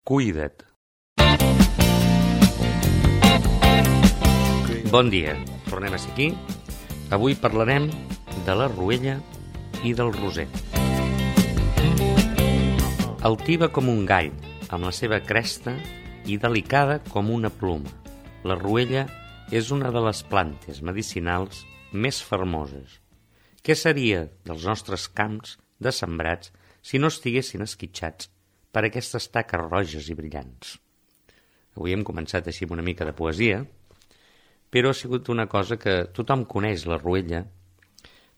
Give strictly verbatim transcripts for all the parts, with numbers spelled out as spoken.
Cuida't. Bon dia, tornem a ser aquí. Avui parlarem de la ruella i del roser. Altiva com un gall, amb la seva cresta, i delicada com una pluma. La ruella és una de les plantes medicinals més famoses. Què seria dels nostres camps de sembrats si no estiguessin esquitxats per aquestes taques roges i brillants? Avui hem començat així amb una mica de poesia, però ha sigut una cosa que tothom coneix, la ruella.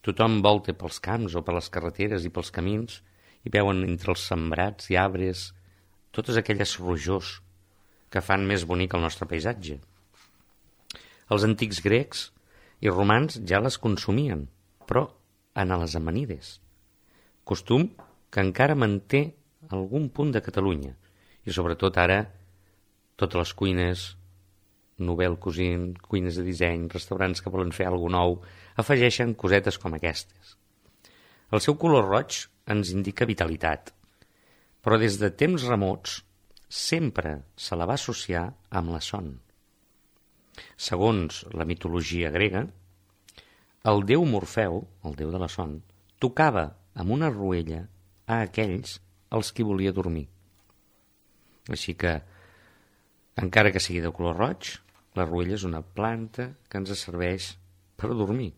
Tothom volta pels camps o per les carreteres i pels camins i veuen entre els sembrats i arbres totes aquelles rojors que fan més bonic el nostre paisatge. Els antics grecs i romans ja les consumien, però en les amanides. Costum que encara manté algun punt de Catalunya, i sobretot ara totes les cuines, novel cuisine, cuines de disseny, restaurants que volen fer alguna nou, afegeixen cosetes com aquestes. El seu color roig ens indica vitalitat, però des de temps remots sempre se la va associar amb la son. Segons la mitologia grega, el déu Morfeu, el déu de la son, tocava amb una ruella a aquells als qui volia dormir. Així que, encara que sigui de color roig, la ruella és una planta que ens serveix per dormir.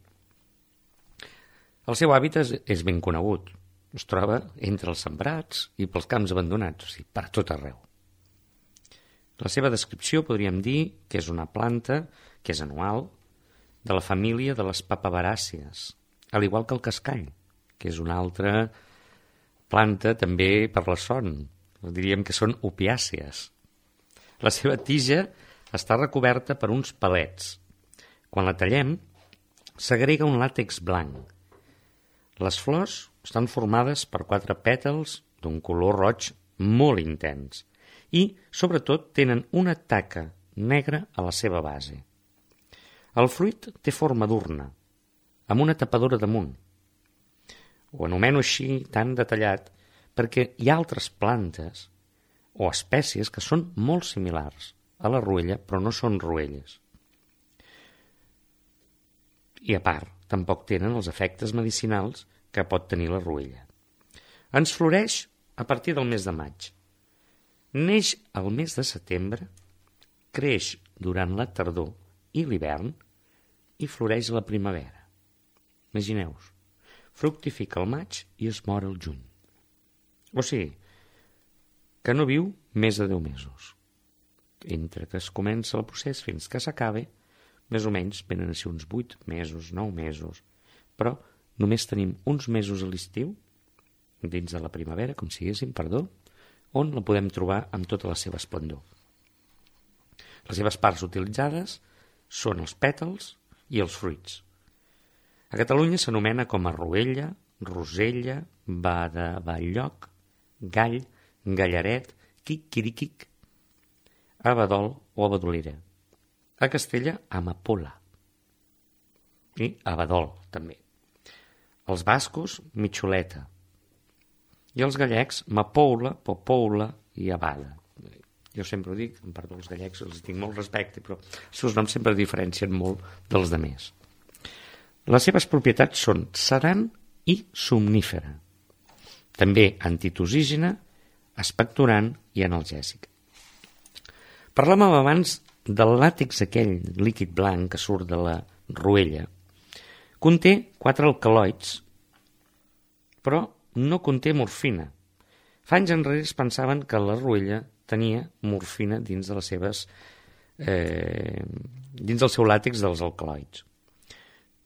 El seu hàbitat és ben conegut. Es troba entre els sembrats i pels camps abandonats, o sigui, per tot arreu. La seva descripció podríem dir que és una planta que és anual, de la família de les papaveràcies, al igual que el cascall, que és una altra planta també per la son. Diríem que són opiàcies. La seva tija està recoberta per uns palets. Quan la tallem, s'agrega un làtex blanc. Les flors estan formades per quatre pètals d'un color roig molt intens i, sobretot, tenen una taca negra a la seva base. El fruit té forma d'urna, amb una tapadora damunt. Ho anomeno així tan detallat perquè hi ha altres plantes o espècies que són molt similars a la ruella, però no són ruelles. I a part, tampoc tenen els efectes medicinals que pot tenir la ruella. Ens floreix a partir del mes de maig. Neix al mes de setembre, creix durant la tardor i l'hivern i floreix a la primavera. Imagineu-vos, fructifica al maig i es mor al juny. O sigui, que no viu més de deu mesos. Entre que es comença el procés fins que s'acabe, més o menys venen a ser uns vuit mesos, nou mesos, però només tenim uns mesos a l'estiu, dins de la primavera, com si diguéssim, perdó, on la podem trobar amb tota la seva esplendor. Les seves parts utilitzades són els pètals i els fruits. A Catalunya s'anomena com a ruella, rosella, badavalloc, gall, gallaret, quiquiriquic, abadol o abadolera. A Castella, amapola. I abadol, també. Els bascos, mitxoleta. I els gallecs, mapoula, popoula i abada. Jo sempre ho dic, en part dels gallecs els tinc molt respecte, però els seus noms sempre diferencien molt dels demés. Les seves propietats són sedant i somnífera. També antitussígena, expectorant i analgèsica. Parlàvem abans del làtex, aquell líquid blanc que surt de la ruella. Conté quatre alcaloids, però no conté morfina. Fa anys enrere es pensaven que la ruella tenia morfina dins de les seves eh, dins del seu làtex dels alcaloids.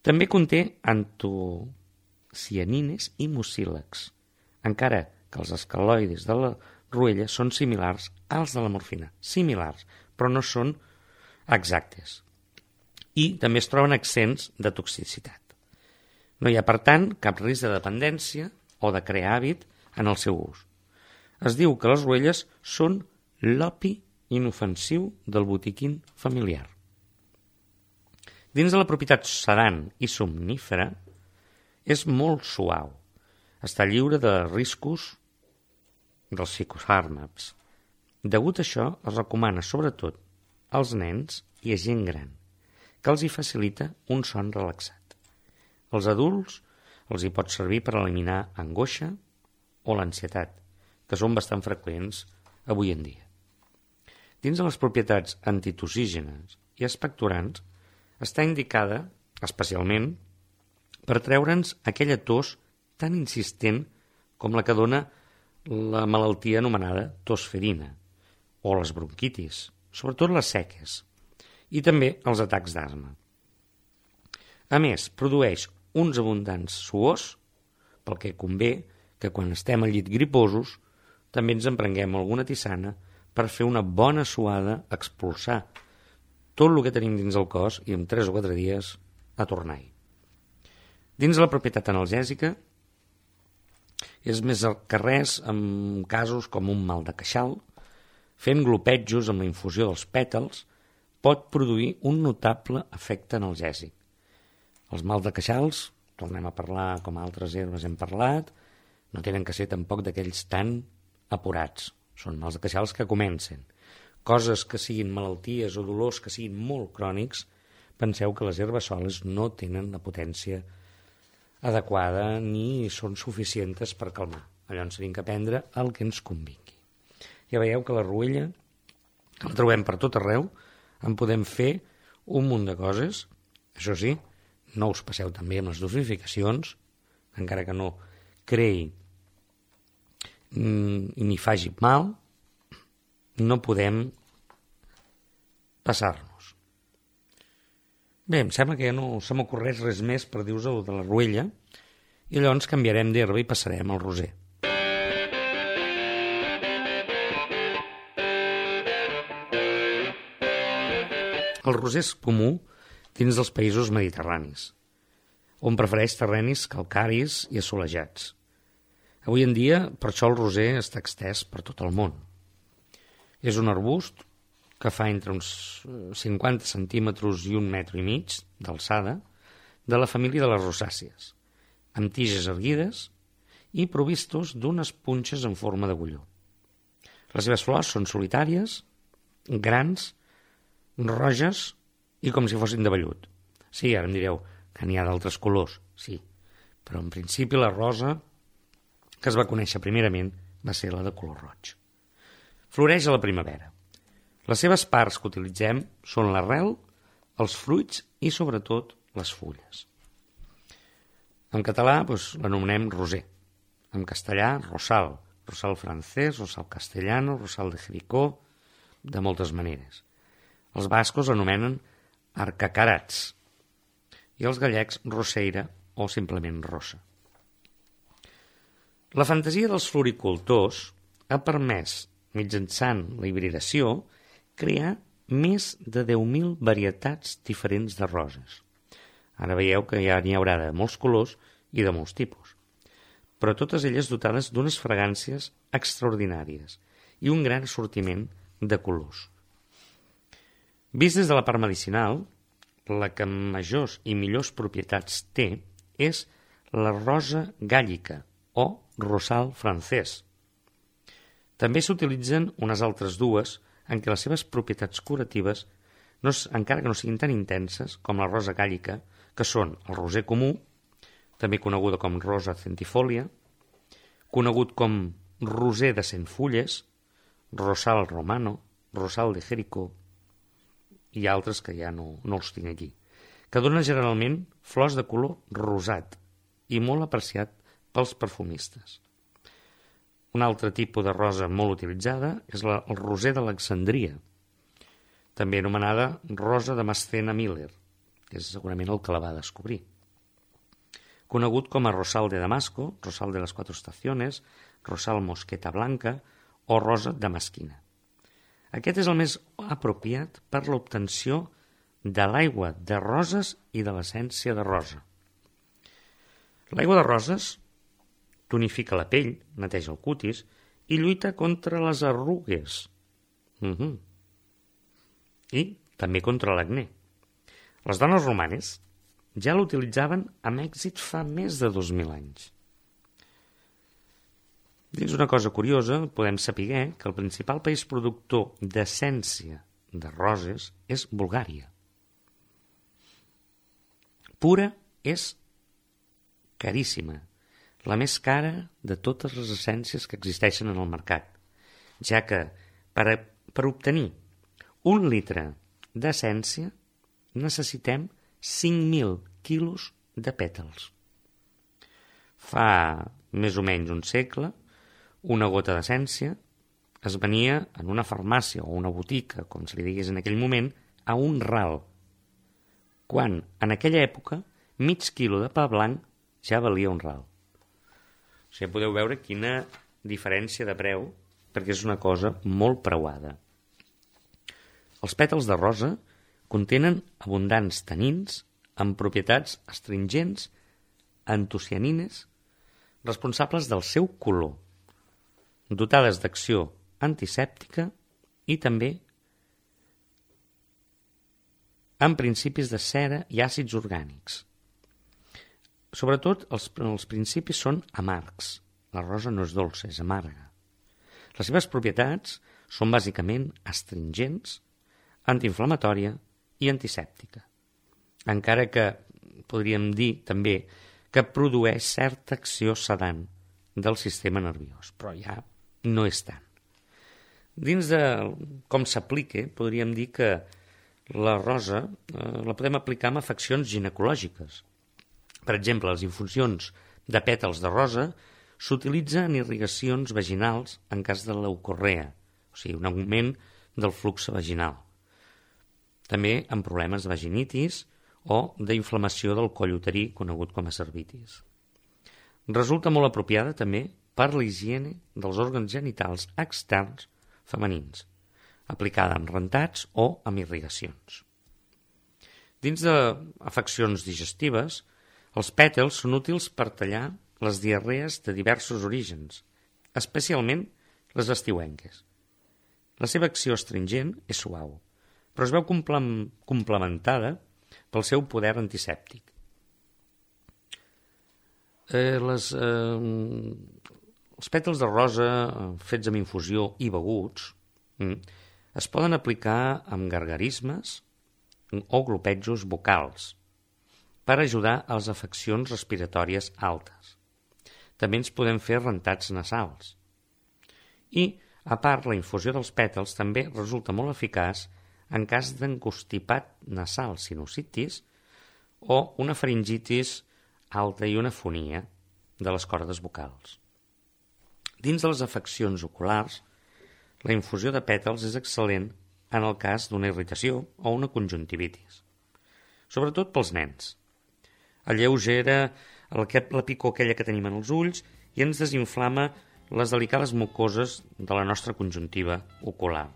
També conté antocianines i mucílags, encara que els alcaloides de la ruella són similars als de la morfina, similars, però no són exactes. I també es troben accents de toxicitat. No hi ha, per tant, cap risc de dependència o de crear hàbit en el seu ús. Es diu que les ruelles són l'opi inofensiu del botiquín familiar. Dins de la propietat sedant i somnífera és molt suau. Està lliure de riscos dels psicofàrmacs. Degut a això, es recomana sobretot als nens i a gent gran, que els hi facilita un son relaxat. Als adults els hi pot servir per eliminar angoixa o l'ansietat, que són bastant freqüents avui en dia. Dins de les propietats antitussígenes i expectorants, està indicada especialment per treure'ns aquella tos tan insistent com la que dona la malaltia anomenada tosferina o les bronquitis, sobretot les seques, i també els atacs d'asma. A més, produeix uns abundants suors, pel que convé que quan estem al llit griposos també ens emprenguem alguna tisana per fer una bona suada, expulsar tot el que tenim dins el cos i en tres o quatre dies a tornar-hi. Dins la propietat analgèsica és més que res en casos com un mal de queixal, fent glopetjos amb la infusió dels pètals pot produir un notable efecte analgèsic. Els mals de queixals, tornem a parlar com altres herbes hem parlat, no tenen que ser tampoc d'aquells tan apurats. Són mals de queixals que comencen. Coses que siguin malalties o dolors que siguin molt crònics, penseu que les herbes soles no tenen la potència adequada ni són suficients per calmar. Llavors hem de prendre el que ens convingui. Ja veieu que la ruella la trobem per tot arreu, en podem fer un munt de coses. Això sí, no us passeu també amb les dosificacions, encara que no creï i ni faci mal, no podem passar-nos. Bé, em sembla que ja no se m'ocorreix res més per dir-vos de la ruella, i llavors canviarem d'herba i passarem al roser. El roser és comú dins dels països mediterranis, on prefereix terrenis calcaris i assolellats. Avui en dia, per això el roser està extès per tot el món. És un arbust que fa entre uns cinquanta centímetres i un metre i mig d'alçada, de la família de les rosàcies, amb tiges erguides i provistos d'unes punxes en forma d'agulló. Les seves flors són solitàries, grans, roges i com si fossin de vellut. Sí, ara em direu que n'hi ha d'altres colors, sí, però en principi la rosa que es va conèixer primerament va ser la de color roig. Floreix a la primavera. Les seves parts que utilitzem són l'arrel, els fruits i sobretot les fulles. En català doncs, l'anomenem roser. En castellà, rosal, rosal francès, rosal castellano, rosal de Jericó, de moltes maneres. Els bascos l'anomenen arcacarats i els gallecs roseira o simplement rosa. La fantasia dels floricultors ha permès, mitjançant la hibridació, crear més de deu mil varietats diferents de roses. Ara veieu que ja n'hi haurà de molts colors i de molts tipus, però totes elles dotades d'unes fragàncies extraordinàries i un gran assortiment de colors. Vist des de la part medicinal, la que majors i millors propietats té és la rosa gàllica o rosal francès. També s'utilitzen unes altres dues en què les seves propietats curatives, no, encara que no siguin tan intenses com la rosa gàllica, que són el roser comú, també coneguda com rosa centifolia, conegut com roser de cent fulles, rosal romano, rosal de Jericó, i altres que ja no, no els tinc aquí, que donen generalment flors de color rosat i molt apreciat pels perfumistes. Un altre tipus de rosa molt utilitzada és la, el roser d'Alexandria, també anomenada rosa de Mascena Miller, que és segurament el que la va descobrir. Conegut com a rosal de Damasco, rosal de les quatre estaciones, rosal mosqueta blanca o rosa damasquina. Aquest és el més apropiat per l'obtenció de l'aigua de roses i de l'essència de rosa. L'aigua de roses tonifica la pell, neteja el cutis i lluita contra les arrugues. Uh-huh. I també contra l'acné. Les dones romanes ja l'utilitzaven amb èxit fa més de dos mil anys. Dins una cosa curiosa, podem saber que el principal país productor d'essència de roses és Bulgària. Pura és caríssima, la més cara de totes les essències que existeixen en el mercat, ja que per, a, per obtenir un litre d'essència necessitem cinc mil quilos de pètals. Fa més o menys un segle, una gota d'essència es venia en una farmàcia o una botica, com se li digués en aquell moment, a un ral, quan en aquella època mig quilo de pa blanc ja valia un ral. O sigui, podeu veure quina diferència de preu, perquè és una cosa molt preuada. Els pètals de rosa contenen abundants tanins amb propietats astringents, antocianines, responsables del seu color, dotades d'acció antisèptica i també amb principis de cera i àcids orgànics. Sobretot, els, els principis són amargs. La rosa no és dolça, és amarga. Les seves propietats són bàsicament astringents, antiinflamatòria i antisèptica. Encara que podríem dir també que produeix certa acció sedant del sistema nerviós, però ja no és tant. Dins de com s'aplica, podríem dir que la rosa eh, la podem aplicar amb afeccions ginecològiques. Per exemple, les infusions de pètals de rosa s'utilitzen en irrigacions vaginals en cas de leucorrea, o sigui, un augment del flux vaginal. També en problemes de vaginitis o d'inflamació del coll uterí, conegut com a cervitis. Resulta molt apropiada també per la higiene dels òrgans genitals externs femenins, aplicada amb rentats o amb irrigacions. Dins d'afeccions digestives, els pètals són útils per tallar les diarrees de diversos orígens, especialment les estiuenques. La seva acció astringent és suau, però es veu complementada pel seu poder antisèptic. Eh, les, eh, els pètals de rosa fets amb infusió i beguts mm, es poden aplicar amb gargarismes o glopetjos vocals per ajudar a les afeccions respiratòries altes. També ens podem fer rentats nasals. I, a part, la infusió dels pètals també resulta molt eficaç en cas d'encostipat nasal, sinusitis, o una faringitis alta i una fonia de les cordes vocals. Dins de les afeccions oculars, la infusió de pètals és excel·lent en el cas d'una irritació o una conjuntivitis, sobretot pels nens. Alleugera la picor aquella que tenim en els ulls i ens desinflama les delicades mucoses de la nostra conjuntiva ocular,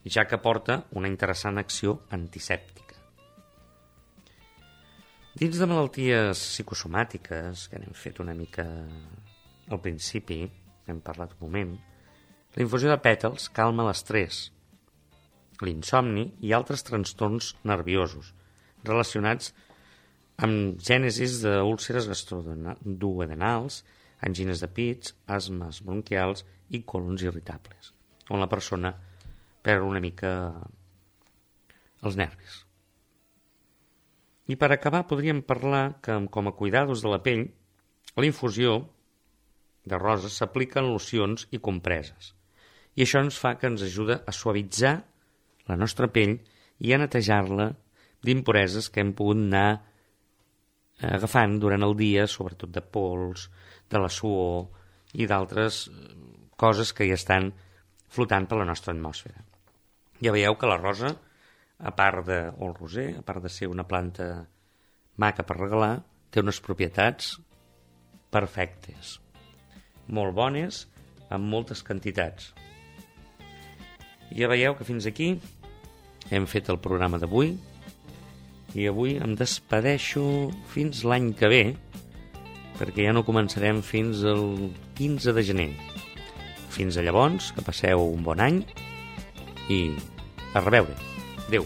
ja que porta una interessant acció antisèptica. Dins de malalties psicosomàtiques, que n'hem fet una mica al principi, hem parlat un moment, la infusió de pètals calma l'estrès, l'insomni i altres trastorns nerviosos relacionats amb gènesis d'úlceres gastroduodenals, angines de pits, asmes bronquials i colons irritables, on la persona perd una mica els nervis. I per acabar podríem parlar que, com a cuidados de la pell, la infusió de roses s'aplica en locions i compreses. I això ens fa que ens ajuda a suavitzar la nostra pell i a netejar-la d'impureses que hem pogut anar agafant durant el dia, sobretot de pols, de la suor i d'altres coses que hi estan flotant per la nostra atmosfera. Ja veieu que la rosa, a part de, o el roser, a part de ser una planta maca per regalar, té unes propietats perfectes, molt bones, amb moltes quantitats. Ja veieu que fins aquí hem fet el programa d'avui i avui em despedeixo fins l'any que ve, perquè ja no començarem fins el quinze de gener. Fins a llavors, que passeu un bon any i a reveure. Adéu.